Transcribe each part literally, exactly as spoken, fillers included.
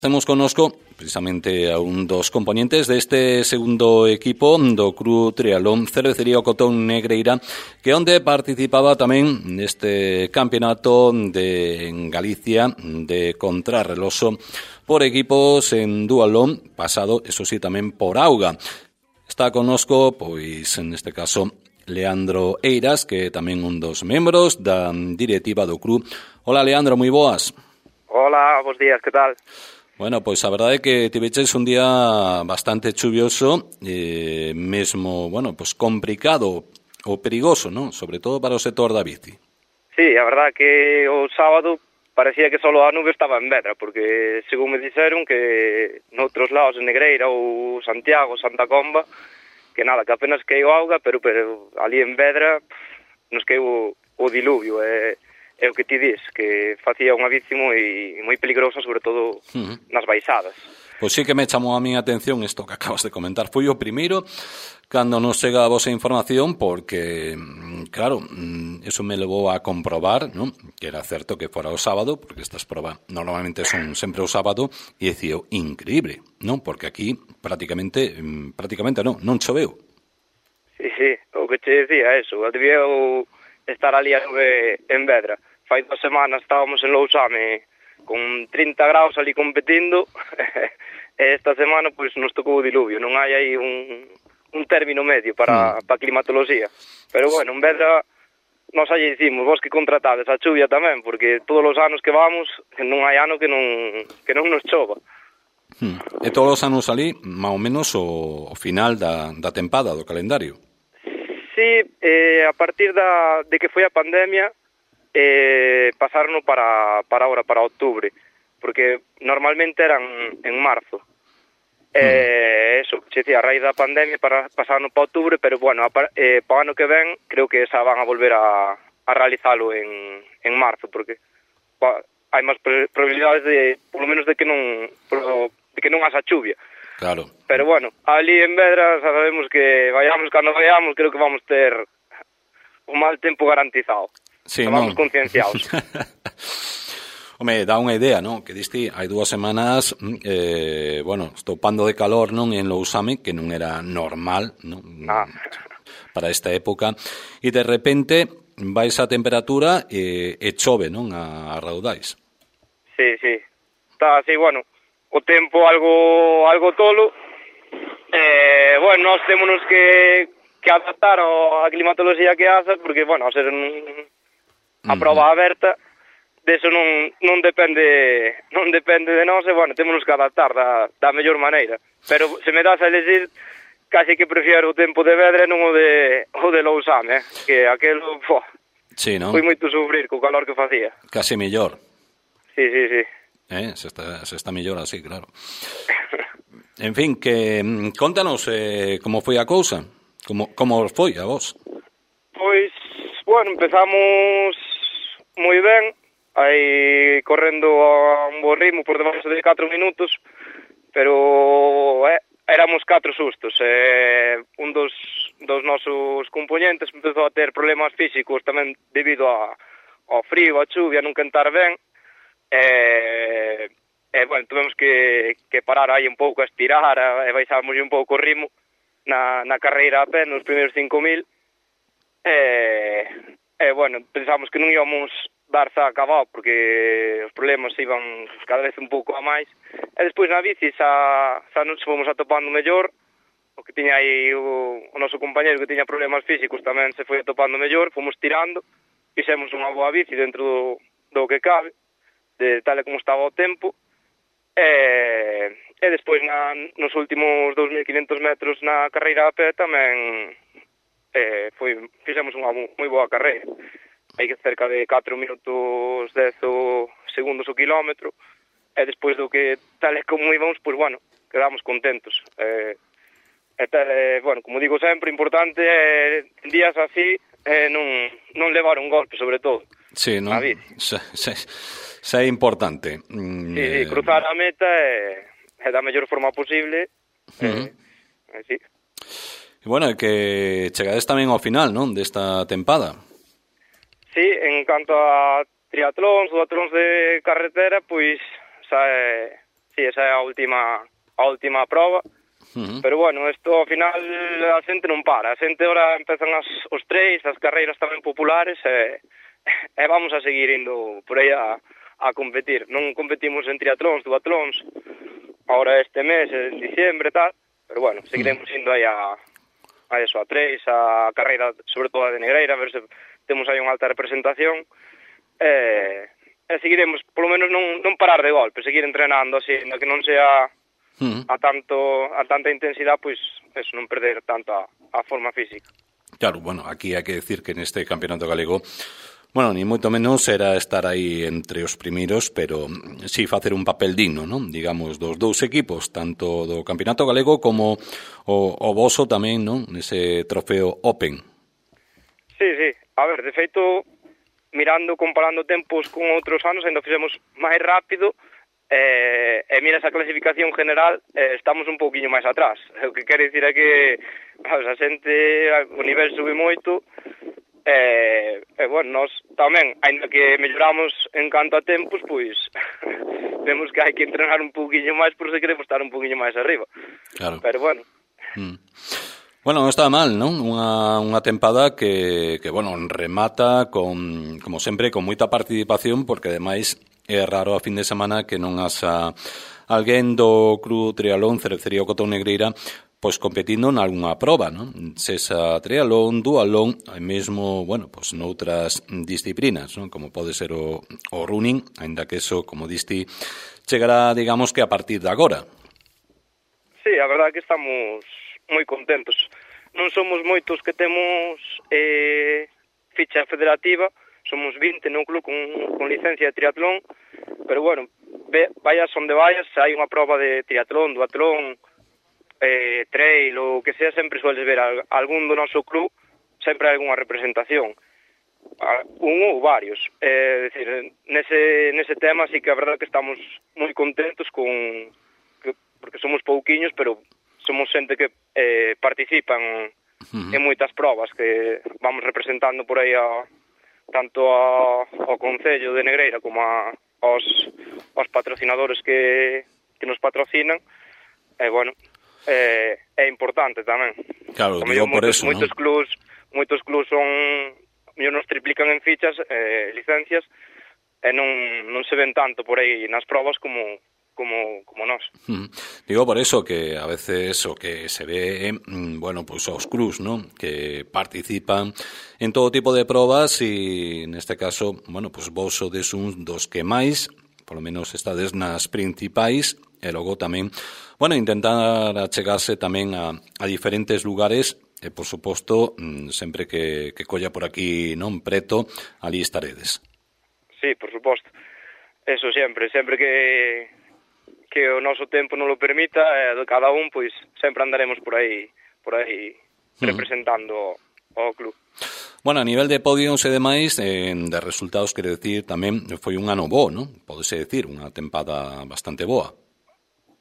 Temos connosco precisamente a un dos componentes deste segundo equipo do Club Triatlón Cervecería O Cotón Negreira, que onde participaba tamén neste campeonato de en Galicia de contrarreloxo por equipos en duatlón, pasado, eso sí, tamén por auga. Está connosco, pois, neste caso, Leandro Eiras, que é tamén un dos membros da directiva do club. Hola, Leandro, moi boas. Hola, bons días, que tal? Bueno, pois a verdade é que tiveches un día bastante chuvioso, eh, mesmo, bueno, pois complicado ou perigoso, non? Sobre todo para o sector da bici. Sí, a verdade que o sábado parecía que só a nube estaba en Vedra, porque según me dixeron que noutros lados, en Negreira ou Santiago, Santa Comba, que nada, que apenas queiu auga, pero, pero ali en Vedra nos queiu o diluvio, e... Eh, é o que ti dis, que facía unha bici moi moi peligrosa, sobre todo uh-huh. nas baixadas. Pois sí que me chamou a miña atención isto que acabas de comentar. Foi o primeiro cando nos chega a vosa información, porque, claro, eso me levou a comprobar, ¿no?, que era certo que fora o sábado, porque estas probas normalmente son sempre o sábado, e dicía, increíble, non? Porque aquí prácticamente, prácticamente non, non choveu. Sí, sí, o que te decía eso, debía estar ali a nube en Vedra. Fai dos semanas estábamos en Lousame con trinta graus ali competindo e esta semana pois nos tocou o diluvio. Non hai aí un, un término medio para, mm. para a climatoloxía. Pero bueno, en Vedra nos aí dicimos, vos que contratades a chuvia tamén, porque todos os anos que vamos non hai ano que non, que non nos chova. Hmm. E todos os anos ali, máis ou menos o, o final da, da tempada do calendario. Sí, eh, a partir da, de que foi a pandemia, eh, pasaron para, para ahora, para outubro, porque normalmente eran en marzo. Eh, mm. Eso, se decía, a raíz da pandemia para, pasaron para outubro, pero bueno, a, eh, para o ano que ven creo que xa van a volver a, a realizalo en, en marzo, porque pa, hai máis probabilidades de, polo menos, de que non de que non haxa chuvia. Claro. Pero bueno, ali en Vedra sabemos que vayamos cando vayamos, creo que vamos ter un mal tempo garantizado. Sí, vamos non. concienciados. Home, dá unha idea, non? Que diste hai dúas semanas, eh, bueno, estopando de calor, non, en Lousame, que non era normal, non? Ah. Para esta época, e de repente vais a temperatura e, e chove, non? A, a raudais. Sí, sí. Está así, bueno, o tempo algo algo tolo. Eh, bueno, nós témonos que, que adaptar a climatoloxía que hace, porque, bueno, a ser un, a prova aberta, deso non, non depende non depende de nós, e, bueno, témonos que adaptar da, da mellor maneira. Pero se me das a elegir, casi que prefiero o tempo de Vedra non o de, o de Lousame, eh? Que aquelo, fo, sí, non? foi moito sufrir co calor que facía. Casi mellor. Sí, sí, sí. Eh, se está, se está mellor así, claro. En fin, que contanos eh, como foi a cousa, como, como foi a vos. Pois, bueno, empezamos moi ben, aí correndo a un bo ritmo por debaixo de catro minutos, pero eh, éramos catro sustos. Eh, un dos, dos nosos componentes empezou a ter problemas físicos tamén debido a, ao frío, a chuvia, non cantar ben. E, e bueno, tuvemos que, que parar aí un pouco a estirar e baixamos un pouco o ritmo na, na carreira a pé nos primeiros cinco mil. E, e bueno, pensamos que non íbamos darse a acabado porque os problemas iban cada vez un pouco a máis. E despois na bici xa, xa nos fomos atopando mellor. O que tiña aí o, o noso compañero que tiña problemas físicos tamén se foi atopando mellor, fomos tirando, fixemos unha boa bici dentro do, do que cabe, de tal e como estaba o tempo, e, e despois na, nos últimos dous mil quinhentos metros na carreira a pé tamén eh, foi, fixemos unha moi boa carreira. Hai que cerca de catro minutos dez segundos o kilómetro, e despois do que tal e como íbamos, pois bueno, quedamos contentos. Eh, e tal, eh, bueno, como digo sempre, importante é eh, días así eh, non, non levar un golpe, sobre todo. Sí, non? Xa, xa, xa é importante. Mm, sí, sí, cruzar a meta é, é da mellor forma posible. Uh-huh. eh, eh, sí. E bueno, é que chegades tamén ao final, non, desta tempada. Sí, en canto a triatlóns, duatlóns de carretera, pois xa é, sí, esa é a última a última prova. Uh-huh. Pero bueno, isto ao final a xente non para, a xente ora empezan as, os tres, as carreiras tamén populares e, e vamos a seguir indo por aí a, a competir. Non competimos en triatlóns, duatlóns ahora este mes, en diciembre e tal, pero bueno, seguiremos indo aí a, a eso, a tres, a carreira sobre todo a de Negreira, a ver se temos aí unha alta representación e, e seguiremos, polo menos non, non parar de golpe, seguir entrenando así, que non sea a tanto a tanta intensidade, pois eso, non perder tanto a, a forma física. Claro, bueno, aquí hai que decir que neste campeonato galego, bueno, ni moito menos era estar aí entre os primeiros, pero sí facer un papel digno, non? Digamos, dos dous equipos, tanto do campeonato galego como o, o voso tamén, non? Nese trofeo Open. Sí, sí, a ver, de feito, mirando, comparando tempos con outros anos, ainda fixemos máis rápido. E, e mira esa clasificación general, eh, estamos un pouquiño máis atrás. O que quere dicir é que a xente, o nivel sube moito e, e bueno, nós tamén, ainda que melloramos en canto a tempos, pois vemos que hai que entrenar un pouquiño máis por se queremos estar un pouquiño máis arriba. Claro. Pero bueno. Mm. Bueno, non está mal, non? Unha, unha tempada que, que, bueno, remata con, como sempre, con moita participación, porque ademais é raro a fin de semana que non haxa alguén do Club Triatlón Cervecería Cotón Negreira pois competindo nalgúna proba, non? Sesa triatlón, duatlón, e mesmo, bueno, pois noutras disciplinas, non? Como pode ser o, o running, aínda que eso, como diste, chegará, digamos, que a partir de agora. Sí, a verdade é que estamos moi contentos. Non somos moitos que temos eh, ficha federativa, somos vinte no club con, con licencia de triatlón, pero bueno, ve, vayas onde vayas, se hai unha prova de triatlón, duatlón, eh, trail, ou que sea, sempre sueles ver a, algún do noso club, sempre hai algunha representación, un ou varios. É eh, dicir, nese, nese tema sí que a verdade que estamos moi contentos con que, porque somos pouquiños, pero somos xente que eh, participan uh-huh. en moitas probas que vamos representando por aí a tanto a, ao Concello de Negreira como a, aos, aos patrocinadores que, que nos patrocinan. E, bueno, é, é importante tamén. Claro, digo por moitos, eso, moitos ¿no? clubs, moitos clubs son, mellor nos triplican en fichas, eh, licencias, e non, non se ven tanto por aí nas probas como como como nós. Mm. Digo por eso que a veces o que se ve, bueno, pues os cruz, ¿no? Que participan en todo tipo de probas e neste caso, bueno, pues vos sodes un dos que máis, polo menos estades nas principais, e logo tamén, bueno, intentar achegarse tamén a, a diferentes lugares e, por suposto, sempre que, que colla por aquí non preto, ali estaredes. Sí, por suposto. Eso sempre, sempre que que o noso tempo non lo permita, e de cada un, pois, sempre andaremos por aí, por aí, representando uh-huh. o club. Bueno, a nivel de podios e demais, eh, de resultados, quero decir, tamén foi un ano bo, non? Podese decir, unha tempada bastante boa.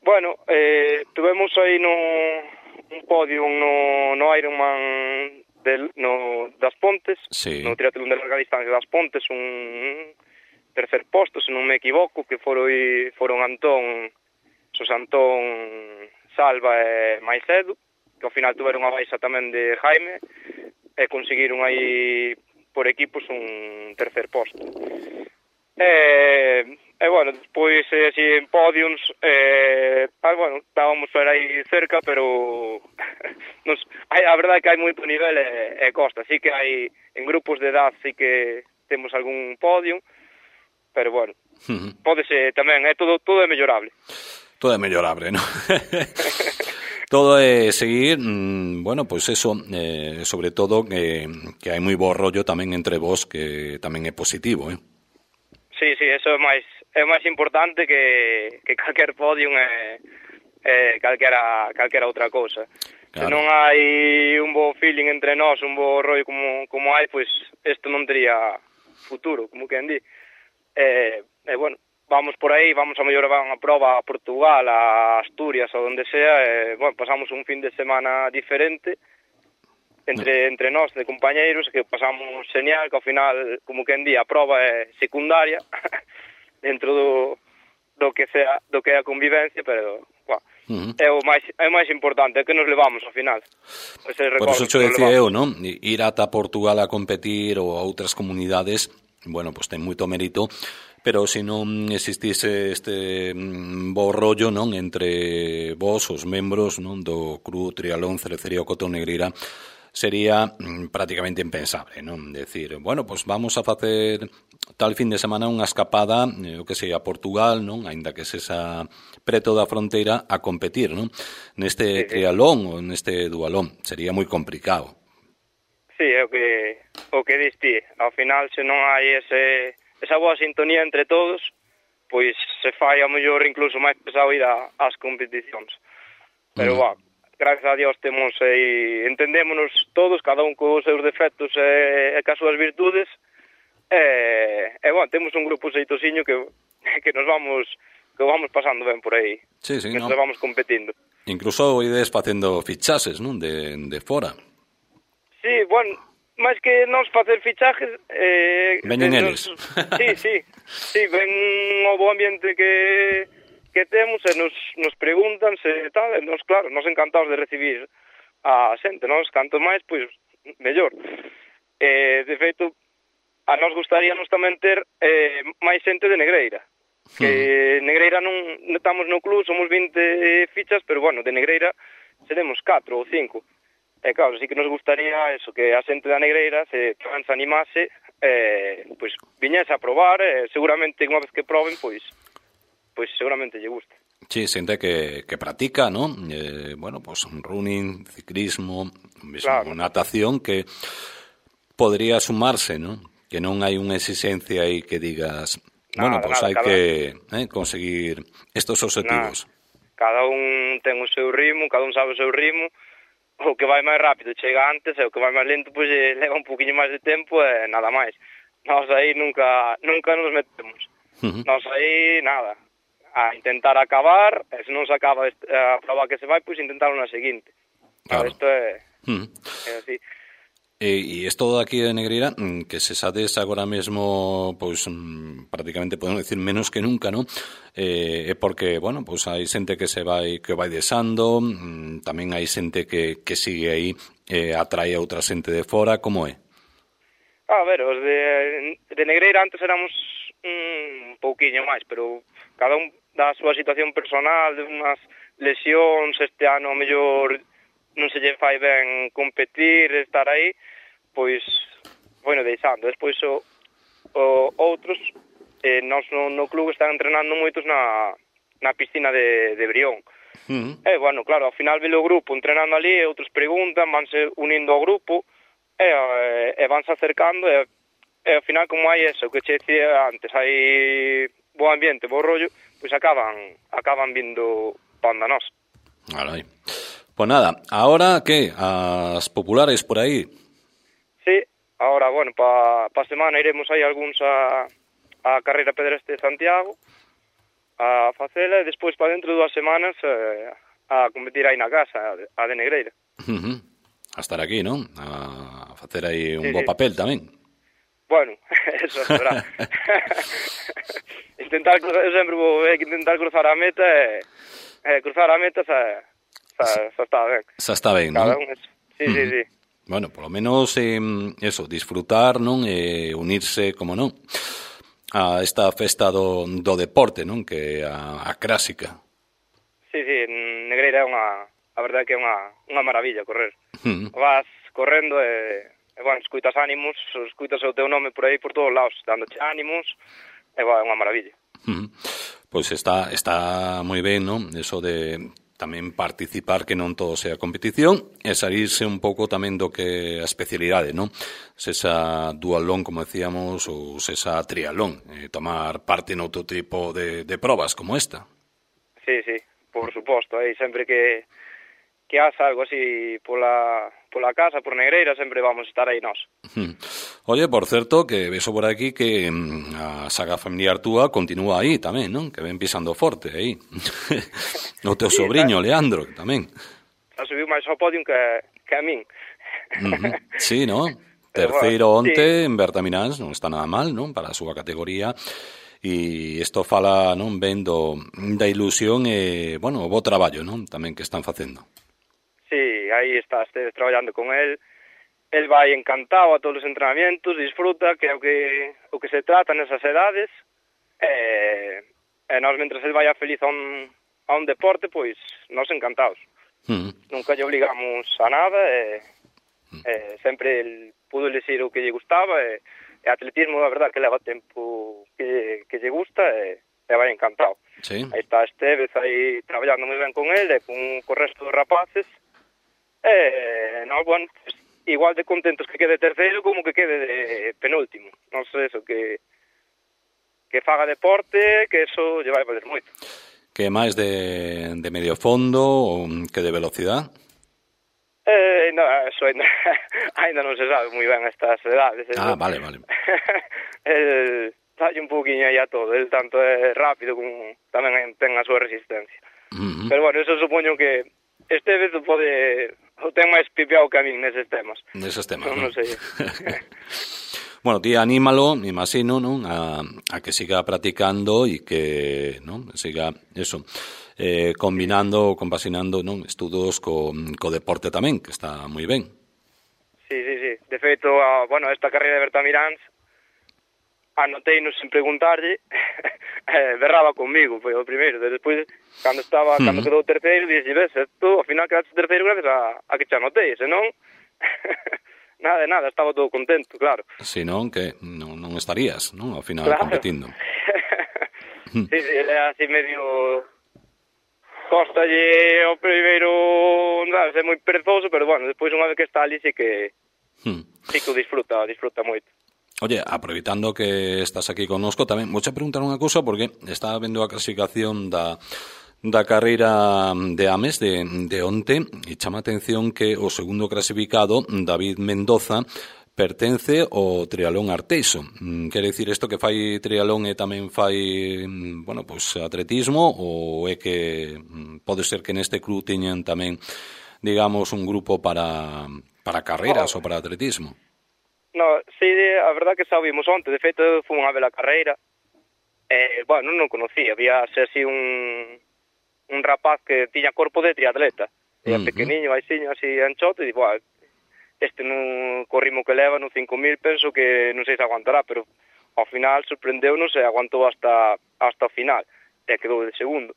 Bueno, eh, tuvemos aí no un podio no, no Ironman del, no, das Pontes, sí. no triatlón de larga distancia das Pontes, un tercer posto, se non me equivoco, que foron, foron Antón, Sos Antón, Salva e Maicedo, que ao final tuveron a baixa tamén de Jaime, e conseguiron aí por equipos un tercer posto. E, e bueno, despois así en podiums, eh, ah, bueno, estábamos por aí cerca, pero nos, hai, a verdade é que hai moito nivel e, e costa, así que hai en grupos de edad sí que temos algún podium, pero bueno, uh-huh. pódese tamén, é todo todo é mellorable. Todo é mellorable, ¿no? Todo é seguir, mmm, bueno, pois pues eso, eh, sobre todo que, que hai moi bo rollo tamén entre vos, que tamén é positivo, eh? Sí, sí, eso é máis é máis importante que, que calquer podium e, e calquera, calquera outra cousa. Claro. Se non hai un bo feeling entre nós, un bo rollo como, como hai, pois pues isto non tería futuro, como quen di. E, e bueno, vamos por aí, vamos a mellorar unha proba a Portugal, a Asturias, ou onde sea, e, bueno, pasamos un fin de semana diferente entre entre nós, de compañeiros, que pasamos genial, que ao final, como quen di, a proba é secundaria dentro do, do que sea, do que é a convivencia, pero, bueno, uh-huh. é o máis é o máis importante, é que nos levamos ao final. Por eso cho decía eu, non? Ir ata Portugal a competir ou a outras comunidades, bueno, pois ten moito mérito, pero se non existise este bo rollo, non, entre vos, os membros, non, do Club Triatlón Cervecería O Cotón Negreira, sería prácticamente impensable, non? Decir, bueno, pois vamos a facer tal fin de semana unha escapada, o que sei, a Portugal, non? Aínda que sexa preto da fronteira, a competir, non? Neste triatlón ou neste dualón, sería moi complicado. Sí, é o que o que diste. Ao final, se non hai ese esa boa sintonía entre todos, pois se fai a mellor incluso máis pesado ir a, ás competicións. Pero, mm. va, gracias a Dios temos e entendémonos todos, cada un cos seus defectos e, e cas súas virtudes, e, e bueno, temos un grupo xeitosiño que, que nos vamos que vamos pasando ben por aí, sí, sí, que no. nos vamos competindo. Incluso ides facendo fichases, non, de, de fora. Sí, bueno, máis que nos facer fichajes... Eh, Veñen eh, eles. Nos, sí, sí, sí, ven o bo ambiente que... que temos e nos, nos preguntan se tal, e nos, claro, nos encantados de recibir a xente, nos, canto máis, pois, mellor. Eh, de feito, a nos gustaríamos tamén ter eh, máis xente de Negreira, que mm. Negreira non estamos no club, somos vinte fichas, pero, bueno, de Negreira seremos catro ou cinco. E, claro, sí que nos gustaría eso, que a xente da Negreira se, se animase, eh, pois, viñese a probar, e seguramente unha vez que proben, pois, pois seguramente lle gusta. Sí, xente que, que practica, ¿no? Eh, bueno, pues running, ciclismo, mismo, claro. Natación, que podría sumarse, ¿no? Que non hai unha exigencia aí que digas, nada, bueno, pues nada, hai que eh, conseguir estos objetivos. Nada. Cada un ten o seu ritmo, cada un sabe o seu ritmo, o que vai máis rápido chega antes, e o que vai máis lento, pois pues, leva un poquinho máis de tempo e nada máis. Nós aí nunca, nunca nos metemos. Uh-huh. Nós aí, nada. A intentar acabar, e se non se acaba a prova que se vai, pois intentar unha seguinte. Claro. Isto é, mm. é así. E, e isto aquí de Negreira, que se sades agora mesmo, pois prácticamente podemos decir menos que nunca, non? Eh, é porque, bueno, pois hai xente que se vai que vai desando, tamén hai xente que, que sigue aí, eh, atrae a outra xente de fora, como é? A ver, os de, de Negreira antes éramos un pouquiño máis, pero cada un da súa situación personal, de unhas lesións, este ano a mellor non se lle fai ben competir, estar aí, pois, bueno, deixando. Despois o, o outros, eh, nós no, no club están entrenando moitos na, na piscina de, de Brión. Uh-huh. E, bueno, claro, ao final velo o grupo entrenando ali, e outros preguntan, vanse unindo ao grupo, e, e, e vanse acercando, e, e ao final, como hai eso, que che decía antes, hai bo ambiente, bo rollo, pois acaban acaban vindo panda nós. Alai. Pues nada, ahora ¿qué? As populares por aí. Sí, ahora, bueno, pa, pa semana iremos aí algúns a, a carreira pedestre de Santiago a facela, e despois para dentro de dúas semanas eh, a competir aí na casa, a de Negreira. Uh-huh. A estar aquí, non? A facer aí un sí, bo sí. papel tamén. Bueno, eso será. intentar cruzar, eu sempre vou eh, intentar cruzar a meta e eh, cruzar a meta xa, xa, xa está ben. Xa está ben, non? Sí, uh-huh. sí, sí. Bueno, por lo menos eh, eso, disfrutar, non? E unirse, como non, a esta festa do, do deporte, non? Que a, a clásica. Sí, sí, en Negreira é unha, a verdade que é unha, unha maravilla correr. Uh-huh. Vas correndo e, e bueno, escuitas ánimos, escuitas o teu nome por aí por todos lados, dándoche ánimos, e bueno, é unha maravilla. Uh-huh. Pois está, está moi ben, non? Eso de tamén participar, que non todo sea competición, e salirse un pouco tamén do que a especialidade, non? Sesa dualón, como decíamos, ou sesa triatlón, eh, tomar parte noutro tipo de, de probas como esta. Sí, sí, por suposto, aí sempre que que haxa algo así pola, pola casa, por Negreira, sempre vamos a estar aí nós. Hmm. Oye, por certo, que veso por aquí que a saga familiar túa continúa aí tamén, non? Que ven pisando forte aí. O teu sí, sobrinho, ¿sabes? Leandro, que tamén. Ha subiu máis ao podium que, que a min. Uh-huh. Sí, ¿no? Terceiro onte sí. En Bertamináns non está nada mal, non? Para a súa categoría. e isto fala, non, ben do, da ilusión e, bueno, o bo traballo, non, tamén que están facendo. Sí, aí está Esteves traballando con el. El vai encantado a todos os entrenamientos, disfruta, que é o que o que se trata nesas edades. E, e nós, mentre el vai a feliz a un, a un deporte, pois, nós encantados. Mm. Nunca lle obligamos a nada, e, mm. e sempre el pudo elegir o que lle gustaba, e E atletismo, a verdade, que leva tempo que, que lle gusta e, e vai encantado. Sí. Aí está Esteves aí traballando moi ben con ele e con, con o resto dos rapaces. E, no, bueno, pues, igual de contentos que quede terceiro como que quede de penúltimo. Non sei, eso, que que faga deporte, que eso lle vai valer moito. Que máis de, de medio fondo ou que de velocidade? Eh, no, eso ainda, ainda non se sabe moi ben estas edades. Ah, vale, vale. El dalle un poquinho aí a todo, el tanto é rápido como tamén ten a súa resistencia. Uh-huh. Pero bueno, eso supoño que este vez pode o ten máis pipeado que a min neses temas. Neses temas, non? Non sei. Bueno, ti anímalo, me imagino, non, a, a que siga practicando e que, non, siga eso. Eh, combinando, compasinando, non, estudos co, co deporte tamén, que está moi ben. Sí, sí, sí. De feito, a, bueno, esta carreira de Bertamiráns anotei-nos sin preguntarlle, eh, berraba conmigo, foi o primeiro. Despois, cando estaba, uh-huh. cando quedou terceiro, dixi, ves, tú, ao final quedaste terceiro gracias a, a que te anotei, senón, nada de nada, estaba todo contento, claro. Si non, que non, non estarías, non, ao final, claro, competindo. Sí, sí, ele é así medio... Costalle o primeiro, non sei, moi perezoso, pero bueno, despois unha vez que está ali sí que hmm. sí que o disfruta, disfruta moito. Oye, aproveitando que estás aquí connosco, tamén vou che preguntar unha cousa, porque estaba vendo a clasificación da da carreira de Ames de, de onte, e chama a atención que o segundo clasificado, David Mendoza, pertence ao triatlón Arteixo. Quere dicir isto que fai triatlón e tamén fai, bueno, pois atletismo, ou é que pode ser que neste club teñan tamén, digamos, un grupo para para carreras oh. ou para atletismo? No, sí, a verdad que xa vimos onte, de feito foi unha vela carreira. Eh, bueno, non o conocía, había así un un rapaz que tiña corpo de triatleta. Era uh-huh. pequeniño, aixiño, así anchote, e digo, ah, este no corrimo que leva no cinco mil, penso que non sei se aguantará, pero ao final sorprendeu-nos e aguantou hasta hasta o final, e quedou de segundo.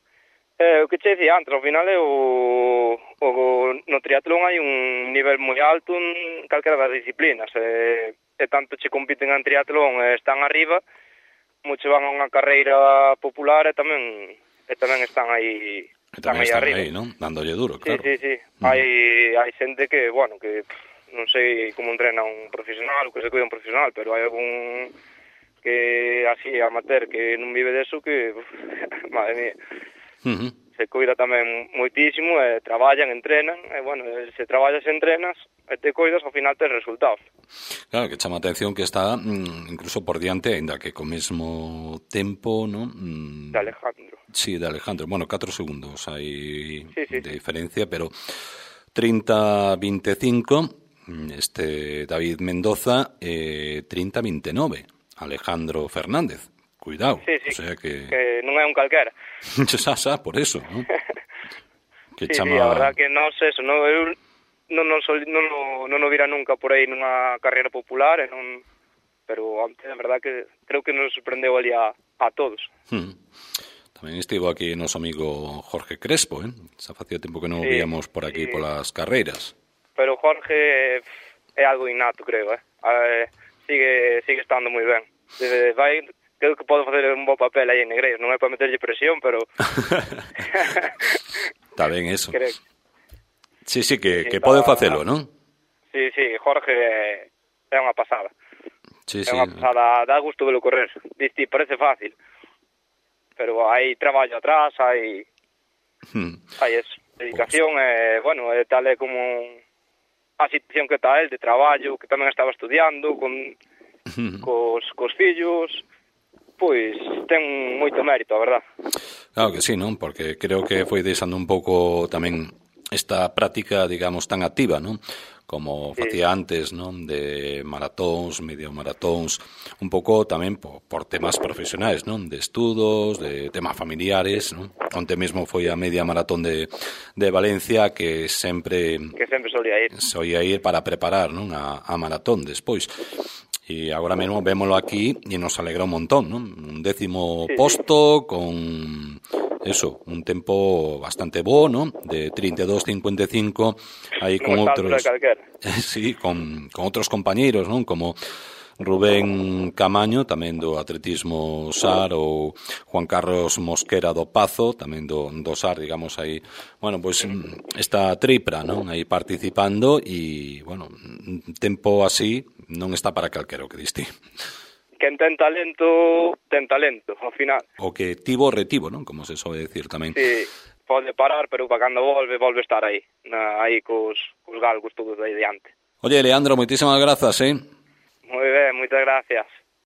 Eh, o que che dicía antes, ao final é o, o no triatlón hai un nivel moi alto en calquera das disciplinas, e, e tanto che compiten en triatlón e están arriba, como che van a unha carreira popular e tamén e tamén están aí están aí arriba. Aí, non? Dándolle duro, claro. Sí, sí, sí. Mm. Hai, hai xente que, bueno, que non sei como entrena un profesional, ou que se cuida un profesional, pero hai algún que así amateur que non vive deso que, uf, madre mía, uh-huh. se cuida tamén moitísimo, e traballan, entrenan, e bueno, se traballas e entrenas e te cuidas, ao final tes resultados. Claro, que chama a atención que está mm, incluso por diante, ainda que co mesmo tempo, non? Mm, de Alejandro. Sí, de Alejandro. Bueno, catro segundos hai sí, sí, de sí. diferencia, pero trinta veinticinco este David Mendoza, eh, trinta veintinueve Alejandro Fernández. Cuidado, sí, sí, o sea que... que non é un calquera. xa, xa, por eso, ¿no? Que sí, chama... sí, a verdad que non sei eso, non, eu non, non, sol, non, non, non o vira nunca por aí nunha carreira popular, e non... pero antes, a verdad que creo que nos sorprendeu ali a, a todos. Hmm. Tamén estivo aquí o noso amigo Jorge Crespo, eh? Xa facía tempo que non o sí, víamos por aquí, sí. polas carreiras. Pero Jorge é algo innato, creo, eh? eh sigue sigue estando moi ben. Desde, vai, creo que pode facer un bo papel aí en Negreiros, non é para meterlle presión, pero... Está ben eso. Creo... Sí, sí, que, sí, que pode facelo, non? Sí, sí, Jorge é, é unha pasada. Sí, é sí. unha pasada, dá gusto velo correr. Disti, parece fácil, pero hai traballo atrás, hai... Hmm. Hai eso, dedicación, e, bueno, é tal é como... a situación que está el de traballo, que tamén estaba estudiando con cos, cos fillos, pois ten moito mérito, a verdad. Claro que sí, non? Porque creo que foi deixando un pouco tamén esta práctica, digamos, tan activa, non? como facía antes, non? De maratóns, medio maratóns, un pouco tamén por, por temas profesionais, non? De estudos, de temas familiares, non? Onte mesmo foi a media maratón de, de Valencia que sempre que sempre solía ir solía ir para preparar, non? A, a maratón despois. E agora mesmo vémolo aquí e nos alegra un montón, non? Un décimo sí, posto sí. Con eso, un tempo bastante bo, non? De trinta e dous cincuenta e cinco aí con outros sí, con, con outros compañeiros, non? Como Rubén Camaño, tamén do atletismo S A R, ou Juan Carlos Mosquera do Pazo, tamén do, do S A R, digamos aí, bueno, pois esta tripla, non? Aí participando e, bueno, un tempo así non está para calquero, que diste. Quen ten talento, ten talento, ao final. O que tivo, retivo, non? Como se sobe decir tamén. Sí, pode parar, pero para cando volve, volve estar aí, na, aí cos, cos galgos todos aí diante. Oye, Leandro, moitísimas grazas, eh? Moi ben, moitas gracias.